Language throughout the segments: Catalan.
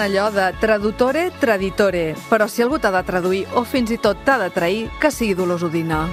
Diuen allò de tradutore, traditore, però si algú t'ha de traduir o fins i tot t'ha de trair, que sigui Dolors Udina.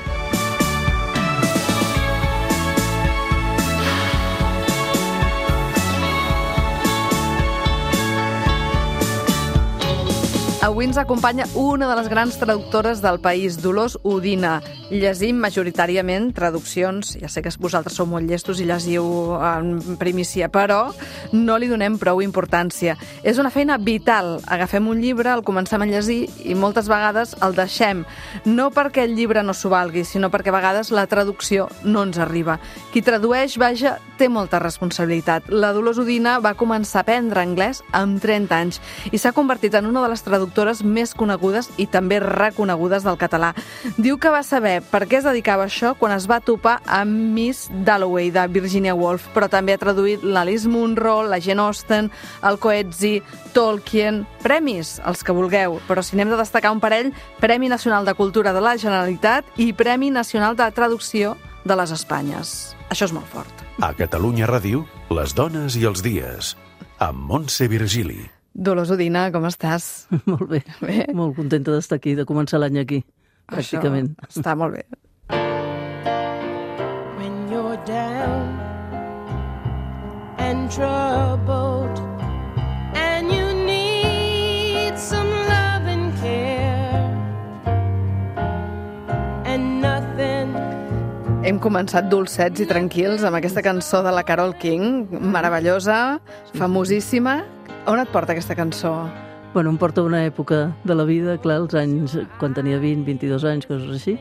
Avui ens acompanya una de les grans traductores del país, Dolors Udina. Llegim majoritàriament traduccions, ja sé que vosaltres sou molt llestos i llegiu en primícia, però no li donem prou importància. És una feina vital. Agafem un llibre, el comencem a llegir i moltes vegades el deixem. No perquè el llibre no s'ho valgui, sinó perquè a vegades la traducció no ens arriba. Qui tradueix, vaja, té molta responsabilitat. La Dolors Udina va començar a aprendre anglès amb 30 anys i s'ha convertit en una de les traductores més conegudes i també reconegudes del català. Diu que va saber per què es dedicava a això quan es va topar amb Miss Dalloway de Virginia Woolf, però també ha traduït l'Alice Munro, la Jane Austen, el Coetzee, Tolkien, premis, els que vulgueu, però si n'hem de destacar un parell, Premi Nacional de Cultura de la Generalitat i Premi Nacional de Traducció de les Espanyes. Això és molt fort. A Catalunya Ràdio, les dones i els dies, amb Montse Virgili. Dolors Udina, com estàs? Molt bé. Molt contenta d'estar aquí, de començar l'any aquí, pràcticament. Això està molt bé. When you're down and troubled and you need some love and care and nothing. Hem començat dolcets i tranquils amb aquesta cançó de la Carole King, meravellosa, famosíssima. On et porta aquesta cançó? Bueno, em porta una època de la vida, clar, els anys, quan tenia 20, 22 anys, coses així,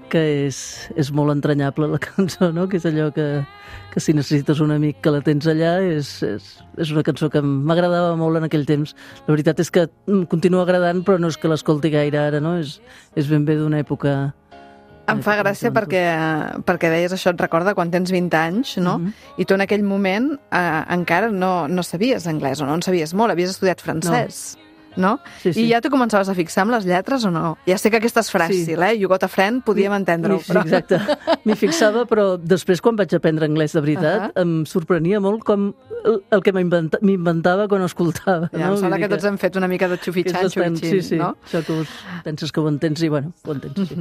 que és molt entranyable la cançó, no? Que és allò que si necessites un amic que la tens allà, és una cançó que m'agradava molt en aquell temps. La veritat és que em continua agradant, però no és que l'escolti gaire ara, no? És ben bé d'una època... Em fa gràcia perquè deies això, et recorda quan tens 20 anys, no? I tu en aquell moment encara no sabies anglès, o no en sabies molt, havies estudiat francès, no? Sí. I ja tu començaves a fixar amb les lletres o no? Ja sé que aquesta és fràcil, You got a friend, podíem entendre-ho. Sí, exacte. M'hi fixava, però després quan vaig aprendre anglès de veritat, em sorprenia molt com el que m'inventava quan escoltava. Ja, em sembla que tots hem fet una mica de xufitxant, sí, no? Això que penses que ho entens i, bueno, ho entens, sí.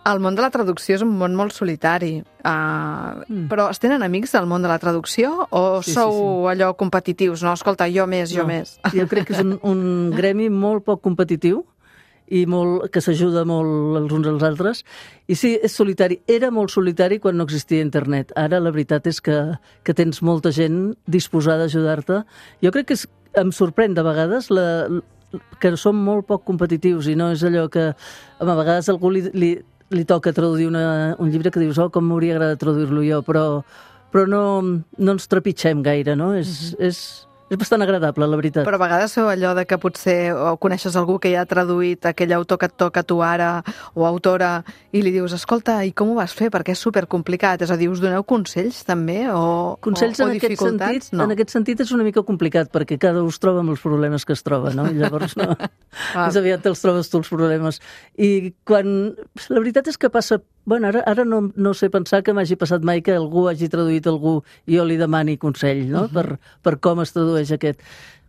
El món de la traducció és un món molt solitari, però es tenen amics del món de la traducció o sou allò competitius, no? Escolta, jo més. Jo crec que és un gremi molt poc competitiu i que s'ajuda molt els uns als altres. I sí, és solitari. Era molt solitari quan no existia internet. Ara la veritat és que tens molta gent disposada a ajudar-te. Jo crec que em sorprèn de vegades que som molt poc competitius i no és allò que a vegades algú li toca traduir un llibre que dius, com m'hauria agradat traduir-lo jo, però no ens trepitgem gaire, no? És bastant agradable, la veritat. Però a vegades feu allò de que potser coneixes algú que ja ha traduït aquell autor que et toca a tu ara, o autora, i li dius, escolta, i com ho vas fer? Perquè és supercomplicat. És a dir, us doneu consells també? Consells o dificultats? En aquest sentit és una mica complicat, perquè cada un es troba amb els problemes que es troba, no? I llavors no. Més aviat te'ls trobes tu els problemes. I quan... La veritat és que passa... Bueno, ara no sé pensar que m'hagi passat mai que algú hagi traduït algú i jo li demani consell, no? Per com es tradueix aquest.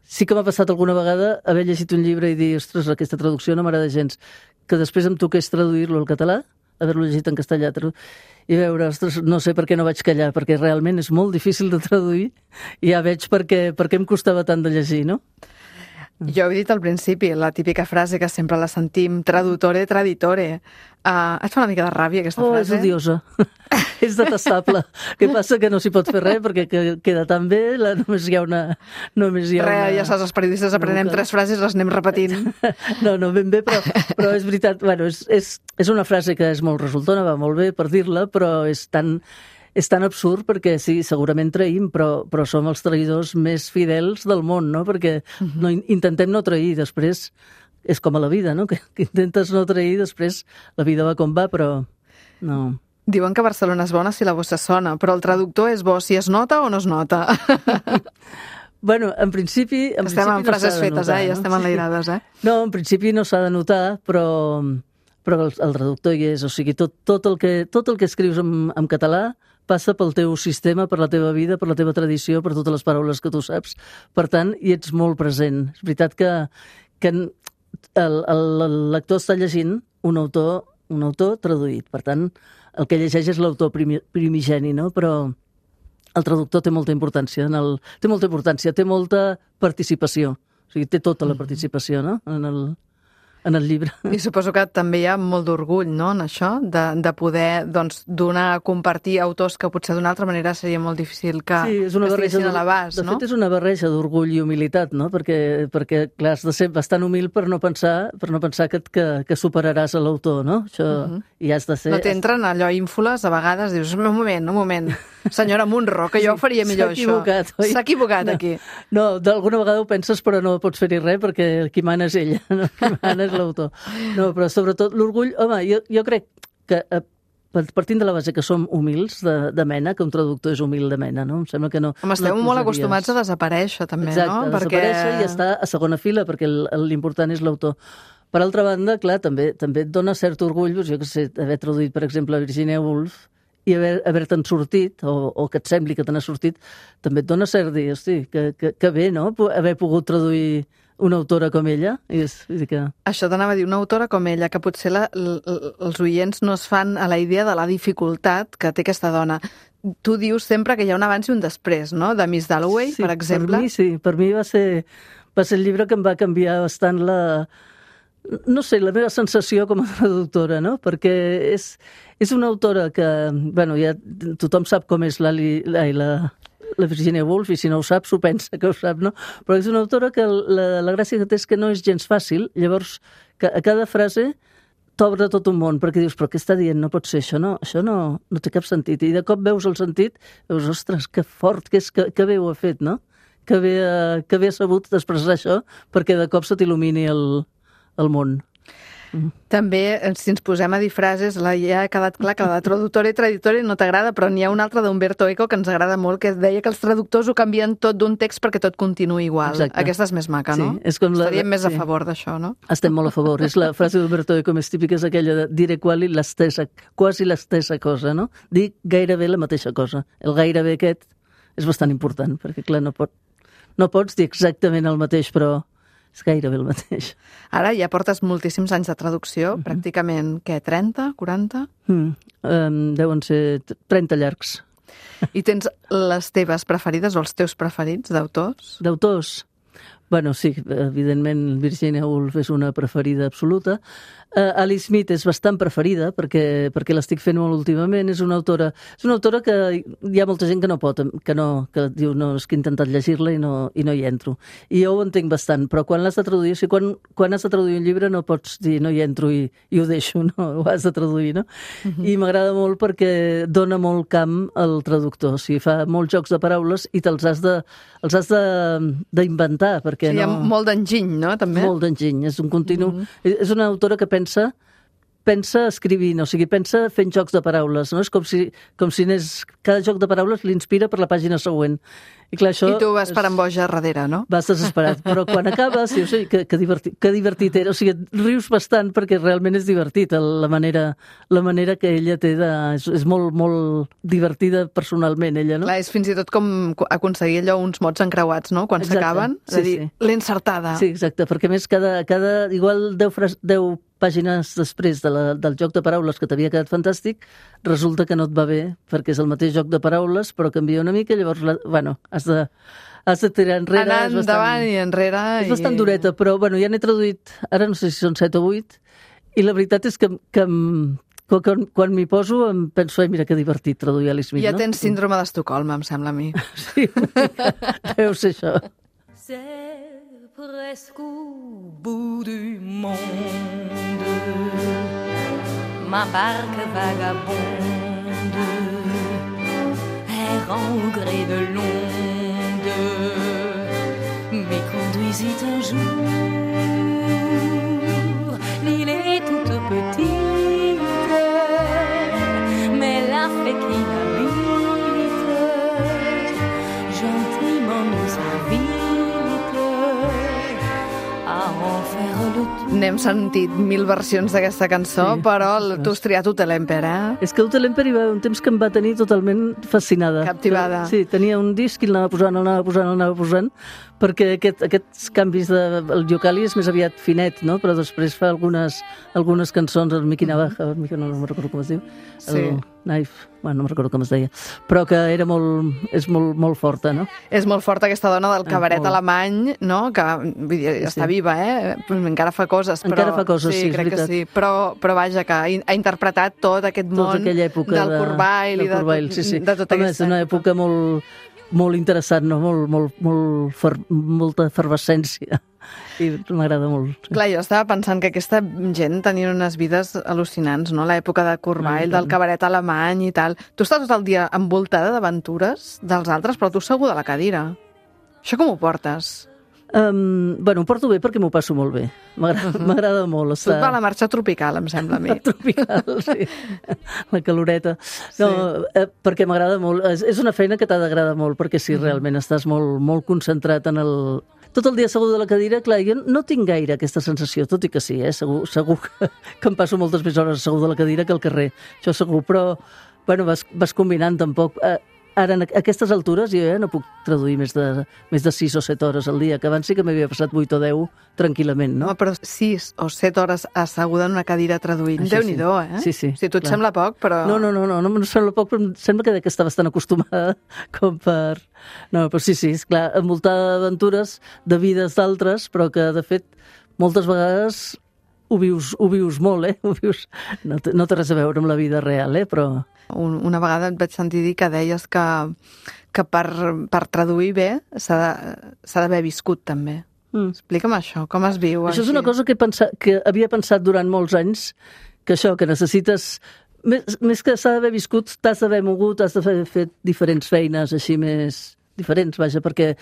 Sí que m'ha passat alguna vegada haver llegit un llibre i dir, ostres, aquesta traducció no m'agrada gens, que després em toqués traduir-lo al català, haver-lo llegit en castellà, i veure, ostres, no sé per què no vaig callar, perquè realment és molt difícil de traduir i ja veig per què em costava tant de llegir, no? Jo he dit al principi, la típica frase que sempre la sentim, tradutore, traditore. Et fa una mica de ràbia aquesta frase? És odiosa. És detestable. Què passa? Que no s'hi pot fer res perquè queda tan bé, només hi ha una... Ja saps, els periodistes aprenem 3 frases, les anem repetint. No, ben bé, però és veritat. Bueno, és una frase que és molt resultona, va molt bé per dir-la, però és tan absurd perquè sí, segurament traïm, però som els traïdors més fidels del món, no? Perquè intentem no trair, després és com a la vida, no? Que intentes no trair, després la vida va com va, però no. Diuen que Barcelona és bona si la bossa sona, però el traductor és bo si es nota o no es nota. Bueno, en principi estem en frases fetes, ja estem enlairades, No, en principi no s'ha de notar, però però el traductor hi és, o sigui, tot el que escrius en català passa pel teu sistema, per la teva vida, per la teva tradició, per totes les paraules que tu saps. Per tant, hi ets molt present. És veritat que el lector està llegint un autor traduït. Per tant, el que llegeix és l'autor primigeni, no? Però el traductor té molta importància, té molta participació. O sigui, té tota la participació, no?, en el llibre. I suposo que també hi ha molt d'orgull, no?, en això, de poder donar a compartir autors que potser d'una altra manera seria molt difícil que estiguessin a l'abast, no? De fet, és una barreja d'orgull i humilitat, no?, perquè clar, has de ser bastant humil per no pensar que superaràs a l'autor, no? Això i has de ser... No t'entren allò ínfoles, a vegades dius, un moment, senyora Munro, que jo faria millor això. S'ha equivocat aquí. No, d'alguna vegada ho penses, però no pots fer-hi res, perquè qui mana és ella, no? Qui mana és l'autor. No, però sobretot l'orgull... Home, jo crec que partint de la base que som humils de mena, que un traductor és humil de mena, no? Em sembla que no... Home, esteu molt acostumats a desaparèixer, també, no? Exacte, a desaparèixer i estar a segona fila, perquè l'important és l'autor. Per altra banda, clar, també et dona cert orgull, doncs, jo que sé, haver traduït, per exemple, Virginia Woolf, i haver-te'n sortit, o que et sembli que te n'ha sortit, també et dona cert dir, hosti, que bé, no?, haver pogut traduir una autora com ella. Això t'anava a dir, una autora com ella, que potser els oients no es fan a la idea de la dificultat que té aquesta dona. Tu dius sempre que hi ha un abans i un després, no?, de Miss Dalloway, per exemple. Per mi va ser el llibre que em va canviar bastant la meva sensació com a traductora, no?, perquè és una autora que, bueno, ja tothom sap com és la Virginia Woolf, i si no ho saps, ho pensa que ho sap, no? Però és una autora que la gràcia que té és que no és gens fàcil, llavors que a cada frase t'obre tot un món, perquè dius, però què està dient? No pot ser això, això no té cap sentit. I de cop veus el sentit, veus, ostres, que fort, que bé ho ha fet, no? Que bé ha sabut expressar això, perquè de cop se t'il·lumini el món. També, si ens posem a dir frases, ja ha quedat clar que la de traductora i traditora no t'agrada, però n'hi ha una altra d'Umberto Eco que ens agrada molt, que deia que els traductors ho canvien tot d'un text perquè tot continuï igual. Exacte. Aquesta és més maca, no? Estaríem més a favor d'això, no? Estem molt a favor. És la frase d'Umberto Eco més típica, és aquella de dire quasi la stessa cosa, no? Dir gairebé la mateixa cosa. El gairebé aquest és bastant important, perquè clar, no pots dir exactament el mateix, però és gairebé el mateix. Ara ja portes moltíssims anys de traducció, pràcticament, què, 30, 40? Deuen ser 30 llargs. I tens les teves preferides o els teus preferits d'autors? D'autors? Bueno, sí, evidentment Virginia Woolf és una preferida absoluta. Alice Smith és bastant preferida perquè l'estic fent molt últimament. És una autora que hi ha molta gent que no pot, que diu, no, és que he intentat llegir-la i no hi entro. I jo ho entenc bastant, però quan l'has de traduir, o sigui, quan has de traduir un llibre no pots dir no hi entro i ho deixo, no? Ho has de traduir, no? I m'agrada molt perquè dona molt camp al traductor, o sigui, fa molts jocs de paraules i els has d'inventar, perquè hi ha molt d'enginy, no? També. Molt d'enginy, és un continu... És una autora que pensa escrivint, o sigui, pensa fent jocs de paraules, no? És com si cada joc de paraules l'inspira per la pàgina següent. I clar, això... I tu vas per amb boja darrere, no? Vas desesperat, però quan acabes, dius, que divertit era. O sigui, rius bastant perquè realment és divertit. La manera que ella té és molt, molt divertida personalment, ella, no? Clar, és fins i tot com aconseguir allò uns mots encreuats, no?, quan s'acaben. És a dir, l'he encertada. Sí, exacte, perquè a més igual 10 pàgines després del joc de paraules que t'havia quedat fantàstic, resulta que no et va bé, perquè és el mateix joc de paraules, però canvia una mica, llavors, has de tirar enrere. Anar endavant i enrere. És bastant dureta, però ja n'he traduït, ara no sé si són 7 o 8, i la veritat és que quan m'hi poso em penso, mira que divertit traduir Alice Smith, no? Ja tens síndrome d'Estocolm, em sembla a mi. Sí, deu ser això. C'est presque au bout du monde, ma barque vagabonde errant au gré de l'onde, me conduisit un jour. L'île est toute petite, mais la fée qui l'habite gentiment nous invite. n'hem sentit 1000 versions d'aquesta cançó, Sí, però ostres. tu has triat Hotel Emper, És que Hotel Emper hi va haver un temps que em va tenir totalment fascinada. Captivada. Sí, tenia un disc i l'anava posant, perquè aquests canvis el Yokali és més aviat finet, no? Però després fa algunes cançons, el Miki Navaja, no me'n recordo com es diu, Sí. el Knife, bueno, no me'n recordo com es deia, però que és molt forta, no? És molt forta aquesta dona del cabaret molt. alemany, no? Que vull dir, està viva, encara fa coses. Però, Encara fa coses, sí, és crec que veritat. sí. Però vaja, que ha interpretat tot aquest món aquella època del Corbail i Corbail, de tota Home, és una època molt interessant, no? Molta efervescència. I m'agrada molt. Sí. Clar, jo estava pensant que aquesta gent tenia unes vides al·lucinants, no? L'època de Corbail, del cabaret alemany i tal. Tu estàs tot el dia envoltada d'aventures dels altres, però tu segur de la cadira. Això com ho portes? Ho porto bé perquè m'ho passo molt bé. M'agrada molt Tu et estar... va la marxa tropical, em sembla a mi. tropical, sí. La caloreta. No, perquè m'agrada molt. És una feina que t'ha d'agradar molt, perquè si realment estàs molt concentrat en el... Tot el dia assegut a la cadira, clar, jo no tinc gaire aquesta sensació, tot i que sí, segur que em passo moltes més hores assegut a la cadira que al carrer, això segur, però vas combinant tampoc. Ara, a aquestes altures, jo no puc traduir més de 6 o 7 hores al dia, que abans sí que m'havia passat 8 o 10 tranquil·lament, no? No, però 6 o 7 hores asseguda en una cadira traduint. Això Déu-n'hi-do, sí. Sí, Si tu et sembla poc, però... No em sembla poc, però em sembla que està bastant acostumada com per... No, però sí, esclar, envoltada d'aventures, de vides d'altres, però que, de fet, moltes vegades ho vius molt, No té res a veure amb la vida real, però... Una vegada et vaig sentir dir que deies que per traduir bé s'ha d'haver viscut, també. Explica'm això, com es viu Això així? és una cosa que havia pensat durant molts anys, que necessites... Més que s'ha d'haver viscut, t'has d'haver mogut, has d'haver fet diferents feines així més diferents, vaja, perquè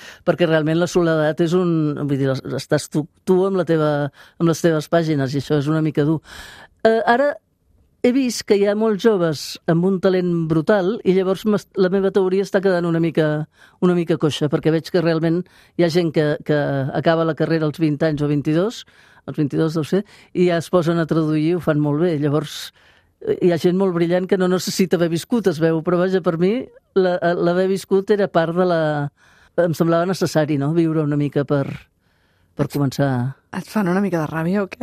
realment la soledat és vull dir, estàs tu amb les teves pàgines, i això és una mica dur. Ara he vist que hi ha molts joves amb un talent brutal i llavors la meva teoria està quedant una mica coixa, perquè veig que realment hi ha gent que acaba la carrera als 20 anys o 22, als 22 deu ser, i ja es posen a traduir i ho fan molt bé. Llavors hi ha gent molt brillant que no necessita haver viscut, es veu, però vaja, per mi l'haver viscut era part de em semblava necessari, no?, viure una mica per començar... Et fan una mica de ràbia o què?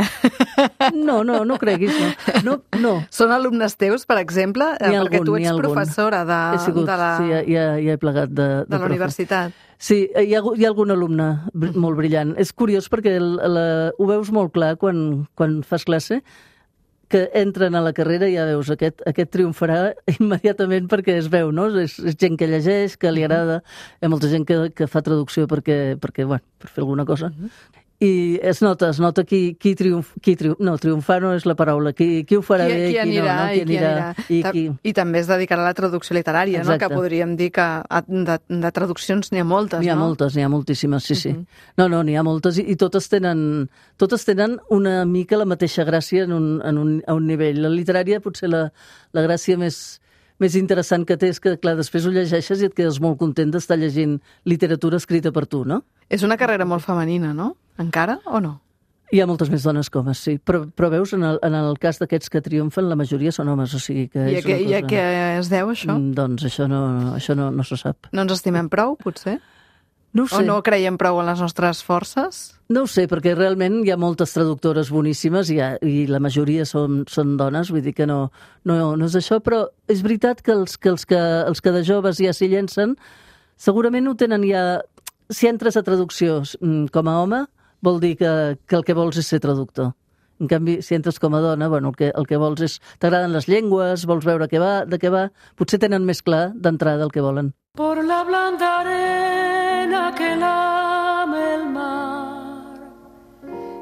No creguis, no. Són alumnes teus, per exemple? Perquè tu ets professora de la... Sí, ja he plegat de la universitat. Sí, hi ha algun alumne molt brillant. És curiós perquè ho veus molt clar quan fas classe, que entren a la carrera i ja veus, aquest triomfarà immediatament perquè es veu, no? És gent que llegeix, que li agrada, hi ha molta gent que fa traducció perquè per fer alguna cosa. I es nota qui triomfar no és la paraula, qui ho farà bé i qui no. I també es dedicarà a la traducció literària, no? Que podríem dir que de traduccions n'hi ha moltes, no? N'hi ha moltes, n'hi ha moltíssimes, sí. No, n'hi ha moltes i totes tenen una mica la mateixa gràcia a un nivell. La literària potser la gràcia més interessant que té és que, clar, després ho llegeixes i et quedes molt content d'estar llegint literatura escrita per tu, no? És una carrera molt femenina, no? Encara o no? Hi ha moltes més dones que homes, sí. Però veus, en el cas d'aquests que triomfen, la majoria són homes, o sigui que és una cosa... I a què es deu, això? Doncs això no se sap. No ens estimem prou, potser? No ho sé. O no creiem prou en les nostres forces? No ho sé, perquè realment hi ha moltes traductores boníssimes i la majoria són dones, vull dir que no és això, però és veritat que els que de joves ja s'hi llencen, segurament ho tenen ja... Si entres a traducció com a home, vol dir que el que vols és ser traductor. En canvi, si entres com a dona, el que vols és... T'agraden les llengües, vols veure de què va... Potser tenen més clar d'entrada el que volen. Por la blanda arena que lame el mar,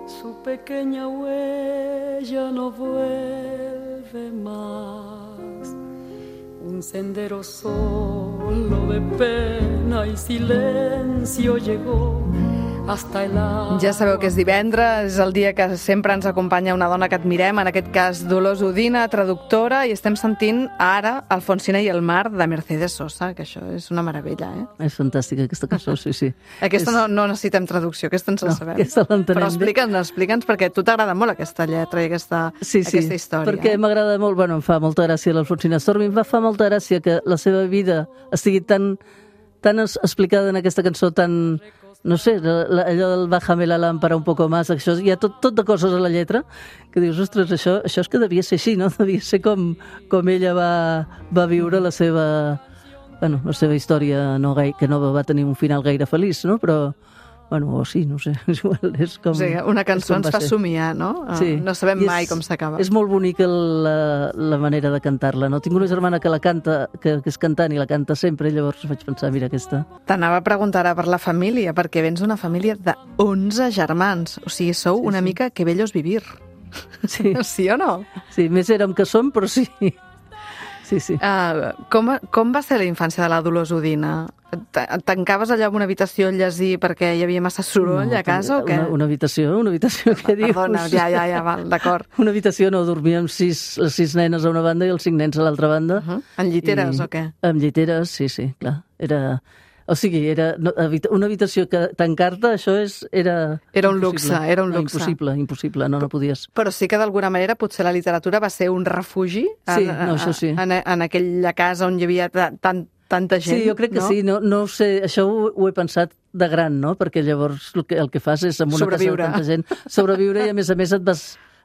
su pequeña huella no vuelve más. Un sendero solo de pena y silencio llegó hasta el alma. Ja sabeu que és divendres, és el dia que sempre ens acompanya una dona que admirem, en aquest cas Dolors Udina, traductora, i estem sentint ara Alfonsina i el mar de Mercedes Sosa, que això és una meravella, eh? És fantàstica aquesta cançó, sí. Aquesta no necessitem traducció, aquesta ens la sabem. Aquesta l'entenem. Però explica'ns, perquè a tu t'agrada molt aquesta lletra i aquesta història. Perquè m'agrada molt, bueno, em fa molta gràcia l'Alfonsina Stormi, em fa molta gràcia que la seva vida estigui tan explicada en aquesta cançó, tan, no sé, allò del bájame la lámpara un poco más, això, hi ha tot de coses a la lletra que dius, ostres, això és que devia ser així, no? Devia ser com ella va viure la seva història que no va tenir un final gaire feliç, no? Però, o sí, no sé, igual és com... O sigui, una cançó ens fa somiar, no? Sí. No sabem mai com s'acaba. És molt bonica la manera de cantar-la, no? Tinc una germana que la canta, que és cantant i la canta sempre, i llavors vaig pensar, mira, aquesta... T'anava a preguntar ara per la família, perquè vens d'una família de 11 germans, o sigui, sou una mica que bellos vivir. Sí. Sí o no? Sí, més érem que som, però sí. Sí. Com va ser la infància de la Dolors Udina? Tancaves allà en una habitació a llegir perquè hi havia massa soroll a casa o què? Una habitació, què dius? Perdona, ja, val, d'acord. Una habitació, no, dormíem les 6 nenes a una banda i els 5 nens a l'altra banda. En lliteres o què? En lliteres, sí, clar. O sigui, era una habitació que tancar-te, això era... Era un luxe. Impossible, no podies. Però sí que d'alguna manera potser la literatura va ser un refugi això sí. En aquella casa on hi havia tanta gent. Sí, jo crec que sí, no ho sé, això ho he pensat de gran, no? Perquè llavors el que fas és, en una casa de tanta gent, sobreviure i a més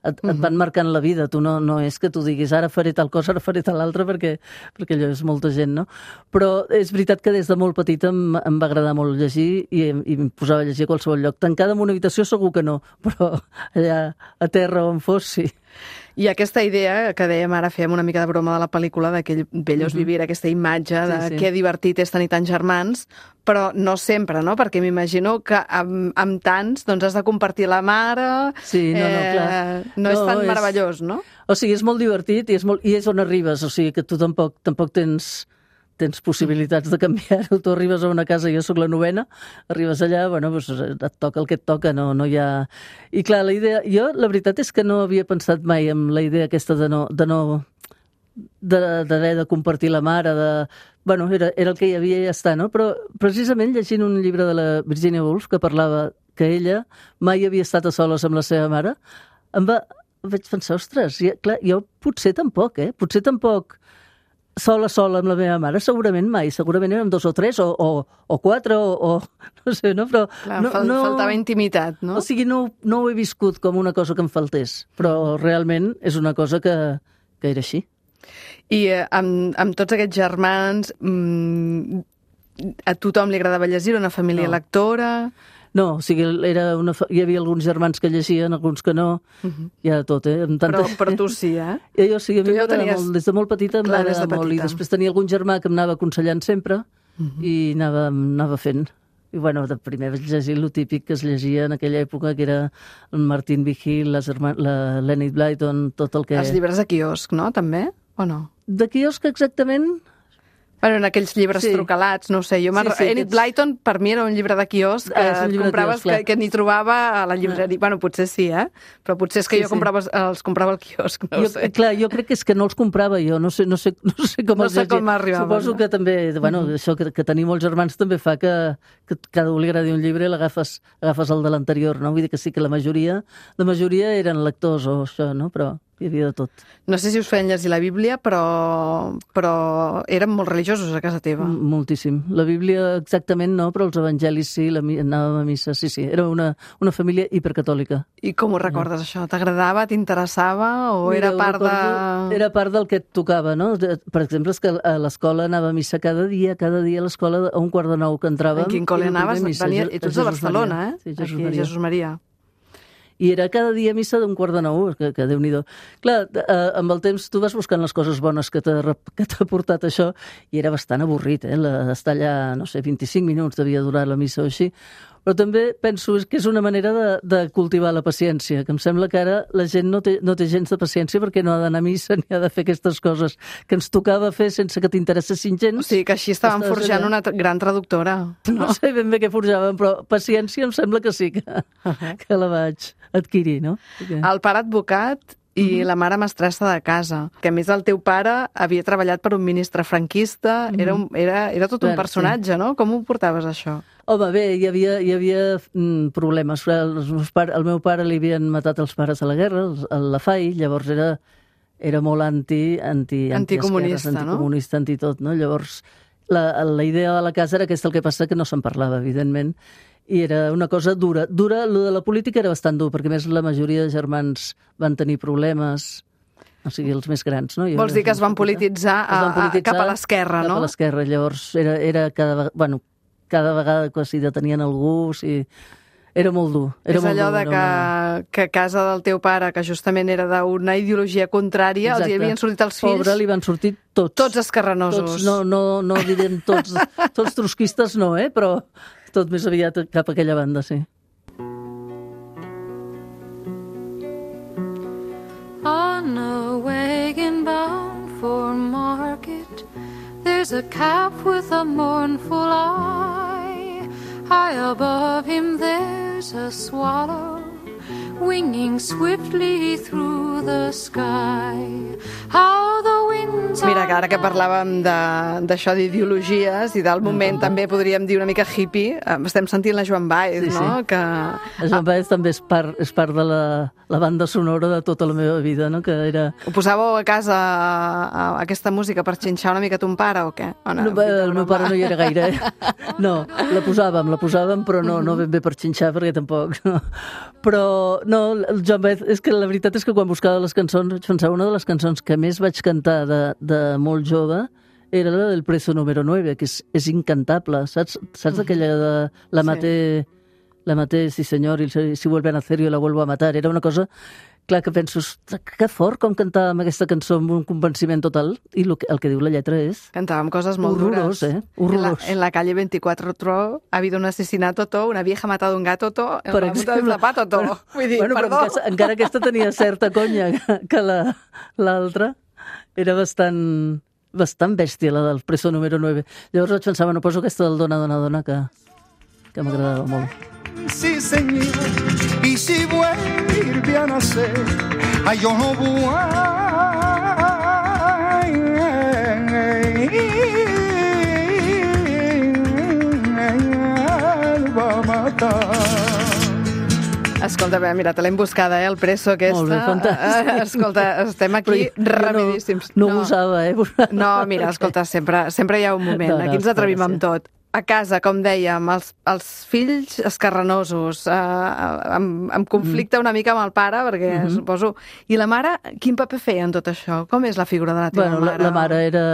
et van marcant la vida. Tu no és que tu diguis ara faré tal cosa, ara faré tal altra, perquè allò és molta gent, no? Però és veritat que des de molt petita em va agradar molt llegir i em posava a llegir a qualsevol lloc. Tancada en una habitació segur que no, però allà a terra on fos, sí. I aquesta idea que dèiem ara, fèiem una mica de broma de la pel·lícula, d'aquell bellos vivir, aquesta imatge de que divertit és tenir tants germans, però no sempre, no? Perquè m'imagino que amb tants doncs has de compartir la mare... Sí, clar. No és tan meravellós, no? O sigui, és molt divertit i és on arribes, o sigui que tu tampoc tens possibilitats de canviar-ho. Tu arribes a una casa, jo sóc la 9ª, arribes allà, doncs et toca el que et toca, no hi ha... I clar, la idea... Jo, la veritat és que no havia pensat mai en la idea aquesta d'haver de compartir la mare, era el que hi havia i ja està, no? Però precisament llegint un llibre de la Virginia Woolf que parlava que ella mai havia estat a soles amb la seva mare, vaig pensar, ostres, clar, jo potser tampoc, Potser tampoc sola amb la meva mare, segurament érem 2 o 3 o 4 o no sé, no? Però clar, faltava intimitat, no? O sigui, no ho he viscut com una cosa que em faltés, però realment és una cosa que era així. I amb tots aquests germans, a tothom li agradava llegir, una família lectora... No, o sigui, hi havia alguns germans que llegien, alguns que no, hi ha de tot, Però tu sí, Jo sí, a mi m'agrada molt, des de molt petita m'agrada molt, i després tenia algun germà que em anava aconsellant sempre i anava fent. I de primer vaig llegir el típic que es llegia en aquella època, que era el Martin Vigil, la Enid Blyton, tot el que... Els llibres de quiosc, no, també? O no? De quiosc, exactament... En aquells llibres trucalats, no ho sé. Enid Blyton, per mi, era un llibre de quiosc que compraves, que n'hi trobava a la llibreria. Potser sí, però potser és que jo els comprava al quiosc, no ho sé. Clar, jo crec que és que no els comprava jo, no sé com els llegia. Com arribaven. Suposo que també, això que tenir molts germans també fa que cada un li agradi un llibre i l'agafes el de l'anterior, no? Vull dir que sí que la majoria eren lectors o això, no? Però hi havia de tot. No sé si us feien llegir la Bíblia, però eren molt religiosos a casa teva. Moltíssim. La Bíblia exactament no, però els evangelis sí, anàvem a missa, sí. Era una família hipercatòlica. I com ho recordes, això? T'agradava, t'interessava o era part de... Era part del que et tocava, no? Per exemple, és que a l'escola anava a missa cada dia a l'escola a 8:45 que entràvem. En quin col·le anaves? I tu ets de Barcelona, Sí, Jesús Maria. I era cada dia a missa d'8:45, que Déu-n'hi-do. Clar, amb el temps tu vas buscant les coses bones que t'ha portat això, i era bastant avorrit, estar allà, no sé, 25 minuts devia durar la missa o així, Però també penso que és una manera de cultivar la paciència, que em sembla que ara la gent no té gens de paciència perquè no ha d'anar a missa ni ha de fer aquestes coses que ens tocava fer sense que t'interessessin gens. O sigui, que així estaven forjant una gran traductora. No sé ben bé què forjaven, però paciència em sembla que sí que la vaig adquirir, no? El pare advocat i la mare mestressa de casa, que a més el teu pare havia treballat per un ministre franquista, era tot un personatge, no? Com ho portaves, això? Home, bé, hi havia problemes. El meu pare li havien matat els pares a la guerra, la FAI, llavors era molt anticomunista, no? Anticomunista, antitot, no? Llavors, la idea de la casa era aquesta, el que passa que no se'n parlava, evidentment, i era una cosa dura. Lo de la política era bastant dur, perquè més la majoria de germans van tenir problemes, o sigui, els més grans, no? Vols dir que es van polititzar cap a l'esquerra, no? Cap a l'esquerra, llavors era cada vegada que s'hi detenien algú, era molt dur. És allò de que a casa del teu pare, que justament era d'una ideologia contrària, els hi havien sortit els fills... Pobre, li van sortir tots. Tots esquerranosos. No direm tots trotskistes, no, però tot més aviat cap a aquella banda, sí. On a wagon bound for market, there's a calf with a mournful eye. High above him there's a swallow winging swiftly through the sky. How the winds are... Mira, que ara que parlàvem d'això d'ideologies i del moment també podríem dir una mica hippie, estem sentint la Joan Baez, no? Sí. La Joan Baez també és part de la banda sonora de tota la meva vida, no? Que era... Ho posàveu a casa, aquesta música, per xinxar una mica ton pare o què? El meu pare no hi era gaire, No, la posàvem, però no ben bé per xinxar, perquè tampoc, no. Però, no, el Joan Baez, és que la veritat és que quan buscava les cançons, vaig pensar, una de les cançons que més vaig cantar de molt jove era la del Preso número 9, que és incantable, saps aquella de la maté, sí senyor, i si vuelve a nacer yo la vuelvo a matar, era una cosa, clar, que penso, que fort com cantàvem aquesta cançó amb un convenciment total, i el que diu la lletra és... Cantàvem coses molt dures. Horrorós. En la calle 24 ha habido un asesinato, una vieja ha matado un gato, en la punta del zapato, Vull dir, perdó. Encara aquesta tenia certa conya que l'altra, era bastant bèstia, la del Preso número 9. Llavors vaig pensar, bueno, poso aquesta del Dona, Dona, Dona, que m'agradava molt. Sí, señor, y si vuelve a nacer, ay, yo no vuelvo a matar. Escolta, mira, te l'hem buscada, el Preso aquesta. Molt bé, fantàstic. Escolta, estem aquí rapidíssims. No ho usava, No, mira, escolta, sempre hi ha un moment. Aquí ens atrevim amb tot. A casa, com dèiem, els fills esquerranosos, amb conflicte una mica amb el pare, perquè suposo... I la mare, quin paper feia en tot això? Com és la figura de la teva mare? La mare era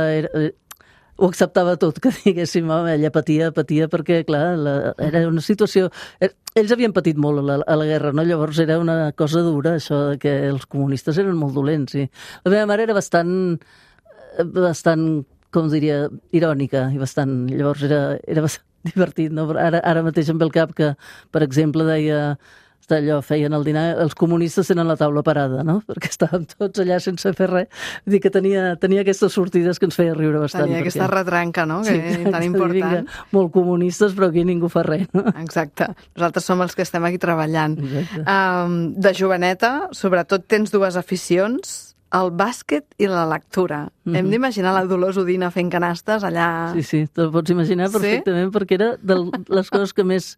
ho acceptava tot, que diguéssim, ella patia perquè, clar, era una situació... Ells havien patit molt a la guerra, no? Llavors era una cosa dura, això que els comunistes eren molt dolents, sí. La meva mare era bastant com diria, irònica, i bastant... Llavors era bastant divertit, no? Ara mateix em ve el cap que, per exemple, deia... allò, feien el dinar, els comunistes tenen la taula parada, no? Perquè estàvem tots allà sense fer res. Vull dir que tenia aquestes sortides que ens feia riure bastant. Tenia aquesta retranca, no? Que tan important. Molt comunistes, però aquí ningú fa res, no? Exacte. Nosaltres som els que estem aquí treballant. De joveneta, sobretot tens dues aficions, el bàsquet i la lectura. Hem d'imaginar la Dolors Udina fent canastes allà... Sí, te'l pots imaginar perfectament, perquè era de les coses que més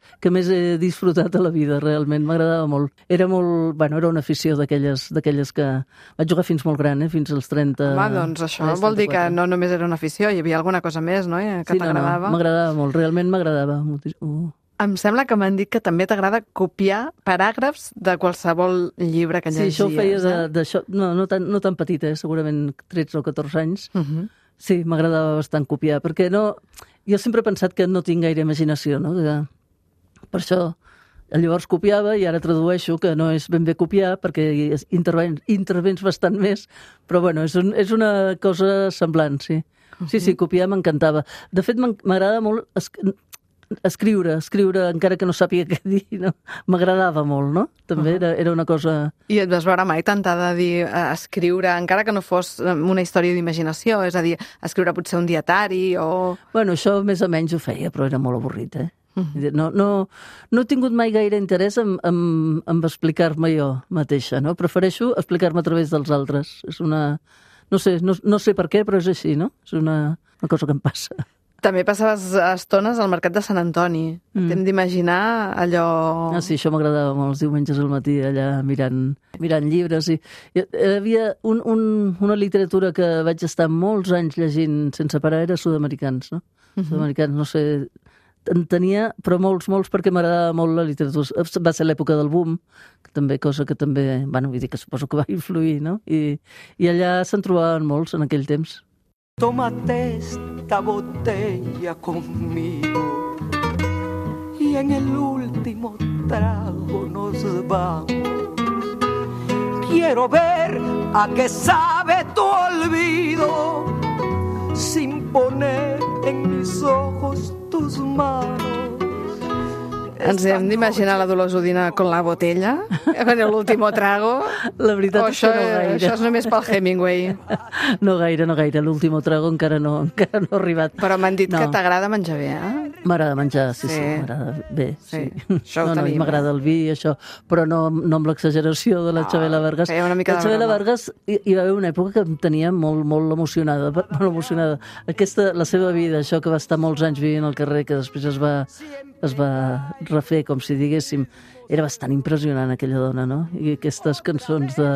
he disfrutat a la vida, realment. M'agradava molt. Era una afició d'aquelles que... Vaig jugar fins molt gran, fins als 30... Home, doncs això vol dir que no només era una afició, hi havia alguna cosa més, no?, que t'agradava. No, m'agradava molt, realment m'agradava. Em sembla que m'han dit que també t'agrada copiar paràgrafs de qualsevol llibre que llegies. Sí, això ho feia d'això, no tan petit, segurament 13 o 14 anys. Sí, m'agradava bastant copiar, perquè jo sempre he pensat que no tinc gaire imaginació, no? Per això llavors copiava i ara tradueixo, que no és ben bé copiar, perquè intervens bastant més, però bueno, és una cosa semblant, sí. Sí, copiar m'encantava. De fet, m'agrada molt... escriure, encara que no sàpiga què dir, no? M'agradava molt, no? També era una cosa... I et vas veure mai tentada a dir, escriure, encara que no fos una història d'imaginació, és a dir, escriure potser un dietari o... Bueno, això més o menys ho feia, però era molt avorrit, No he tingut mai gaire interès en explicar-me jo mateixa, no? Prefereixo explicar-me a través dels altres. És una... No sé per què, però és així, no? És una cosa que em passa. També passaves estones al Mercat de Sant Antoni. T'hem d'imaginar allò... Sí, això m'agradava molt, els diumenges al matí, allà mirant llibres. I hi havia una literatura que vaig estar molts anys llegint sense parar, era sud-americans, no? Sud-americans, no sé... En tenia, però molts, perquè m'agradava molt la literatura. Va ser l'època del boom, cosa que també, bueno, vull dir que suposo que va influir, no? I allà se'n trobaven molts en aquell temps. Tómate esta botella conmigo y en el último trago nos vamos. Quiero ver a qué sabe tu olvido sin poner en mis ojos tus manos. Ens hem d'imaginar la Dolors Udina con la botella, en l'último trago. La veritat és que no gaire. Això és només pel Hemingway. No gaire. L'último trago encara no ha arribat. Però m'han dit que t'agrada menjar bé, M'agrada menjar, sí, m'agrada bé. Sí. Això ho tenim. M'agrada el vi, això, però no amb l'exageració de la Chabela Vargas. Feia una mica la Chabela Vargas hi va haver una època que em tenia molt, molt emocionada. La seva vida, això que va estar molts anys vivint al carrer, que després es va refer, com si diguéssim, era bastant impressionant aquella dona, no? I aquestes cançons de...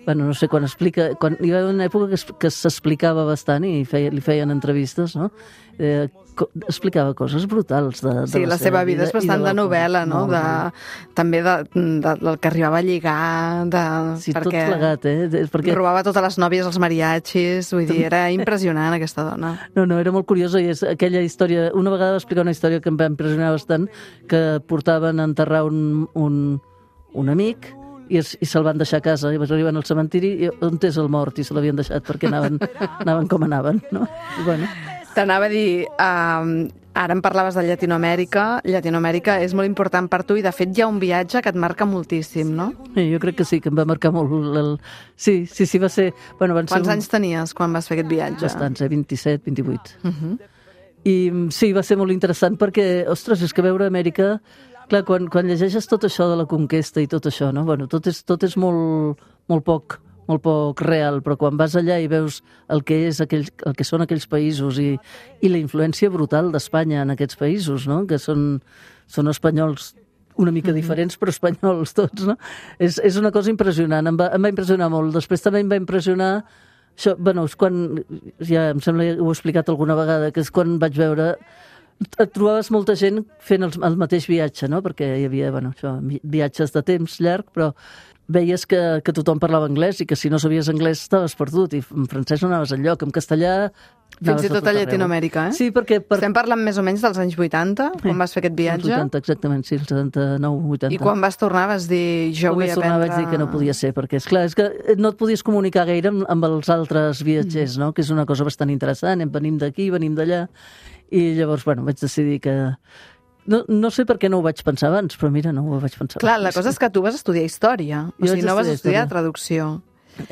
Bueno, no sé, quan hi va haver una època que s'explicava bastant i li feien entrevistes, no? Explicava coses brutals de la seva vida és bastant de novel·la, no? També del que arribava a lligar, sí, tot plegat, perquè robava totes les nòvies als mariachis, vull dir, era impressionant aquesta dona. No, era molt curiosa i és aquella història, una vegada va explicar una història que em va impressionar bastant, que portaven a enterrar un amic i se'l van deixar a casa, i arriben al cementiri i on és el mort, i se l'havien deixat perquè anaven com anaven, no? I bueno... T'anava a dir, ara em parlaves de Llatinoamèrica. Llatinoamèrica és molt important per tu i, de fet, hi ha un viatge que et marca moltíssim, no? Sí, jo crec que sí, que em va marcar molt. Sí, va ser... Bueno, Quants anys tenies quan vas fer aquest viatge? Bastants, 27, 28. I sí, va ser molt interessant perquè, ostres, és que veure Amèrica... Clar, quan llegeixes tot això de la conquesta i tot això, no? Bueno, tot és molt poc real, però quan vas allà i veus el que són aquells països i la influència brutal d'Espanya en aquests països, no? Que són espanyols una mica diferents, però espanyols tots, no? És una cosa impressionant, em va impressionar molt. Després també em va impressionar això, bueno, és quan, ja em sembla que ho he explicat alguna vegada, que és quan vaig veure... Et trobaves molta gent fent el mateix viatge, no? Perquè hi havia, bueno, això, viatges de temps llarg, però veies que tothom parlava anglès i que si no sabies anglès estaves perdut, i en francès no anaves enlloc, en castellà... Fins i tot a Llatinoamèrica, Sí, perquè... Estem parlant més o menys dels anys 80, quan vas fer aquest viatge? Els 80, exactament, sí, els 79, 80. I quan vas tornar vas dir, jo vull aprendre... Vaig dir que no podia ser, perquè, esclar, és que no et podies comunicar gaire amb els altres viatgers, no? Que és una cosa bastant interessant, venim d'aquí, venim d'allà, i llavors, bueno, vaig decidir que... No sé per què no ho vaig pensar abans, però mira, no ho vaig pensar abans. Clar, la cosa és que tu vas estudiar història, o sigui, no vas estudiar traducció.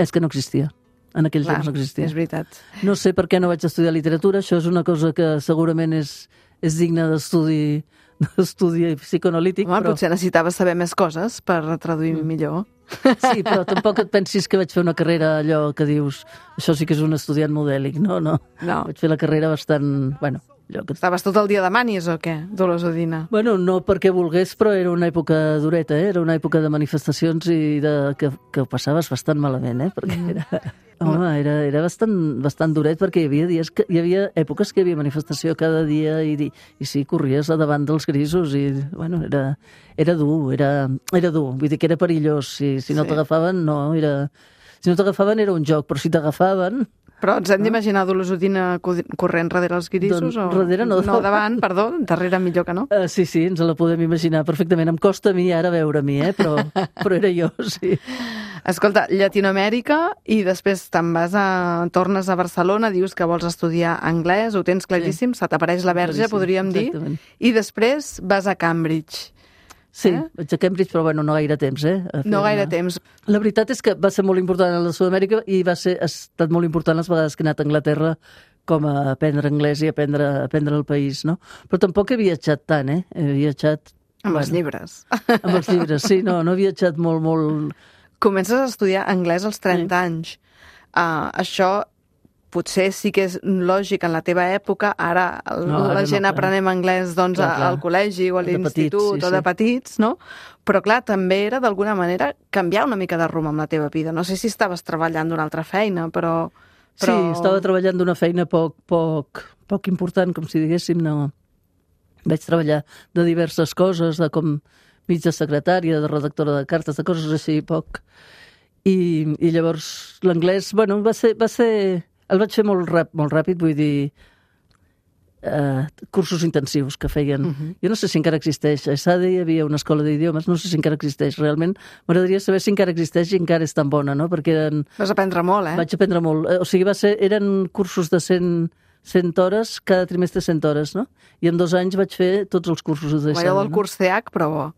És que no existia. En aquell temps no existia. És veritat. No sé per què no vaig estudiar literatura, això és una cosa que segurament és digna d'estudi psicoanalític. Home, potser necessitaves saber més coses per traduir millor. Sí, però tampoc et pensis que vaig fer una carrera allò que dius, això sí que és un estudiant modèlic, no. Vaig fer la carrera bastant, bueno... Estaves tot el dia de manis o què, Dolors Udina? Bueno, no perquè volgués, però era una època dureta, Era una època de manifestacions i que ho passaves bastant malament, Perquè era bastant duret, perquè hi havia èpoques que hi havia manifestació cada dia i sí, corries a davant dels grisos i, bueno, era dur, vull dir que era perillós. Si no t'agafaven, no, si no t'agafaven era un joc, però si t'agafaven... Però ens hem d'imaginar Dolors Udina corrent darrere els guirissos? Doncs, darrere no. No, davant, perdó, darrere millor que no. Sí, ens la podem imaginar perfectament. Em costa a mi ara veure a mi, però era jo, sí. Escolta, Llatinoamèrica i després tornes a Barcelona, dius que vols estudiar anglès, ho tens claríssim, se t'apareix la verge, podríem dir, i després vas a Cambridge. Sí, vaig a Cambridge, però bueno, no gaire temps, No gaire temps. La veritat és que va ser molt important a la Sud-amèrica i ha estat molt important les vegades que he anat a Anglaterra com a aprendre anglès i aprendre el país, no? Però tampoc he viatjat tant, He viatjat... Amb els llibres. Amb els llibres, sí, no he viatjat molt... Comences a estudiar anglès als 30 anys. Això potser sí que és lògic en la teva època, ara la gent aprenem anglès doncs, al col·legi o a l'institut o de petits, no? Però clar, també era d'alguna manera canviar una mica de rumb amb la teva vida. No sé si estaves treballant d'una altra feina, però... Sí, estava treballant d'una feina poc important, com si diguéssim, no. Vaig treballar de diverses coses, de com mig de secretària, de redactora de cartes, de coses així, poc. I llavors l'anglès, bueno, va ser... El vaig fer molt ràpid, vull dir, cursos intensius que feien. Jo no sé si encara existeix. A Sade hi havia una escola d'idiomes, no sé si encara existeix realment. M'agradaria saber si encara existeix i encara és tan bona, no? Perquè eren... Vas aprendre molt, Vaig aprendre molt. O sigui, eren cursos de 100 hores, cada trimestre 100 hores, no? I en 2 anys vaig fer tots els cursos de Sade. Allò del curs CH, però bo.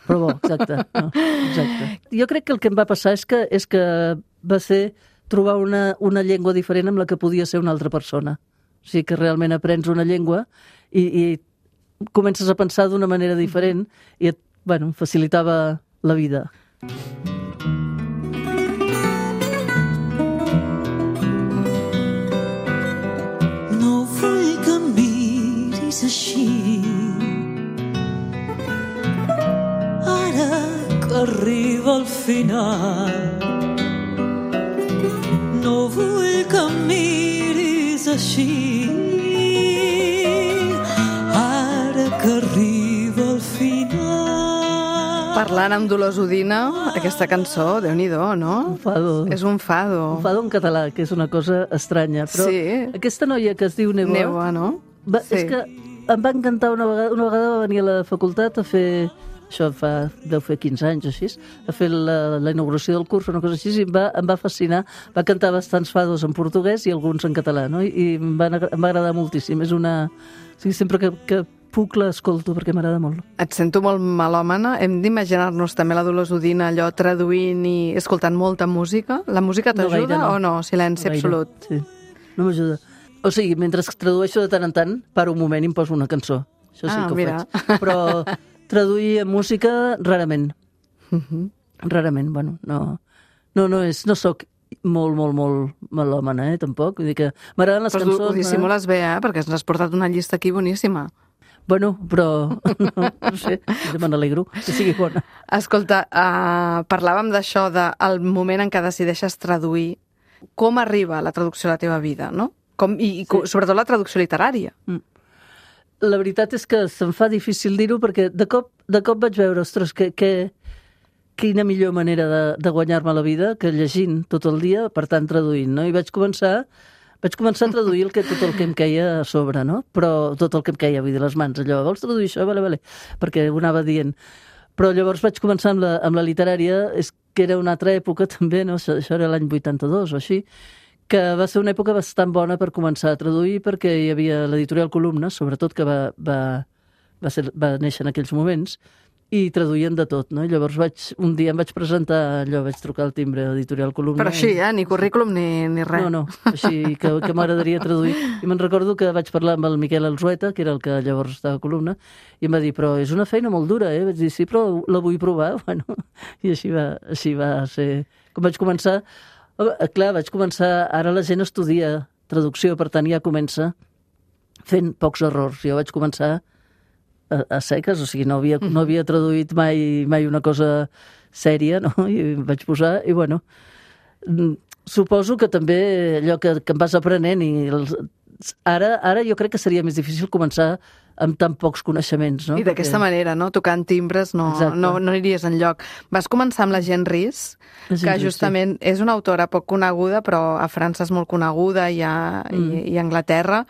Però bo, exacte. No, exacte. Jo crec que el que em va passar és que va ser trobar una llengua diferent amb la que podia ser una altra persona. O sigui que realment aprens una llengua i comences a pensar d'una manera diferent i et facilitava la vida. No vull que em miris així, ara que arriba el final. No vull que em miris així, ara que arriba el final. Parlant amb Dolors Udina, aquesta cançó, Déu-n'hi-do, no? Un fado. És un fado. Un fado en català, que és una cosa estranya. Però sí. Aquesta noia que es diu Neboa... Neboa, no? Sí. És que em va encantar una vegada va venir a la facultat a fer... Això deu fer 15 anys o així, a fer la inauguració del curs o una cosa així, i em va fascinar. Va cantar bastants fados en portuguès i alguns en català, no? I em va agradar moltíssim. És una... O sigui, sempre que puc l'escolto perquè m'agrada molt. Et sento molt melòmana. Hem d'imaginar-nos també la Dolors Udina allò traduint i escoltant molta música. La música t'ajuda o no? Silenci absolut. Sí, no m'ajuda. O sigui, mentre tradueixo de tant en tant, paro un moment i em poso una cançó. Això sí que ho faig. Però... traduir en música, rarament. Rarament, bueno, no soc molt melòmana, tampoc. Vull dir que m'agraden les cançons... Però ho dissimules bé, perquè ens has portat una llista aquí boníssima. Bueno, però no sé, me n'alegro que sigui bona. Escolta, parlàvem d'això, del moment en què decideixes traduir. Com arriba la traducció a la teva vida, no? Sobretot la traducció literària. La veritat és que se'm fa difícil dir-ho perquè de cop vaig veure, ostres, quina millor manera de guanyar-me la vida que llegint tot el dia, per tant traduint, no? I vaig començar a traduir tot el que em queia a sobre, no? Però tot el que em queia, vull dir, les mans, allò, vols traduir això? Vale. Perquè ho anava dient. Però llavors vaig començar amb la literària, és que era una altra època també, no? Això era l'any 82 o així, que va ser una època bastant bona per començar a traduir perquè hi havia l'editorial Columna, sobretot, que va néixer en aquells moments, i traduïen de tot, no? I llavors un dia em vaig presentar allò, vaig trucar al timbre de l'editorial Columna. Però així, ni currículum ni res. No, així que m'agradaria traduir. I me'n recordo que vaig parlar amb el Miquel Alzueta, que era el que llavors estava a Columna, i em va dir, però és una feina molt dura, Vaig dir, sí, però la vull provar. Bueno, i així va ser... Com vaig començar... Clar, vaig començar... Ara la gent estudia traducció, per tant ja comença fent pocs errors. Jo vaig començar a seques, o sigui, no havia traduït mai una cosa sèria, no? I vaig posar, i bueno, suposo que també allò que em vas aprenent i ara jo crec que seria més difícil començar amb tan pocs coneixements, no? I d'aquesta manera, no? Tocant timbres no aniries enlloc. Vas començar amb la Jean Rhys, que justament és una autora poc coneguda, però a França és molt coneguda i a Anglaterra.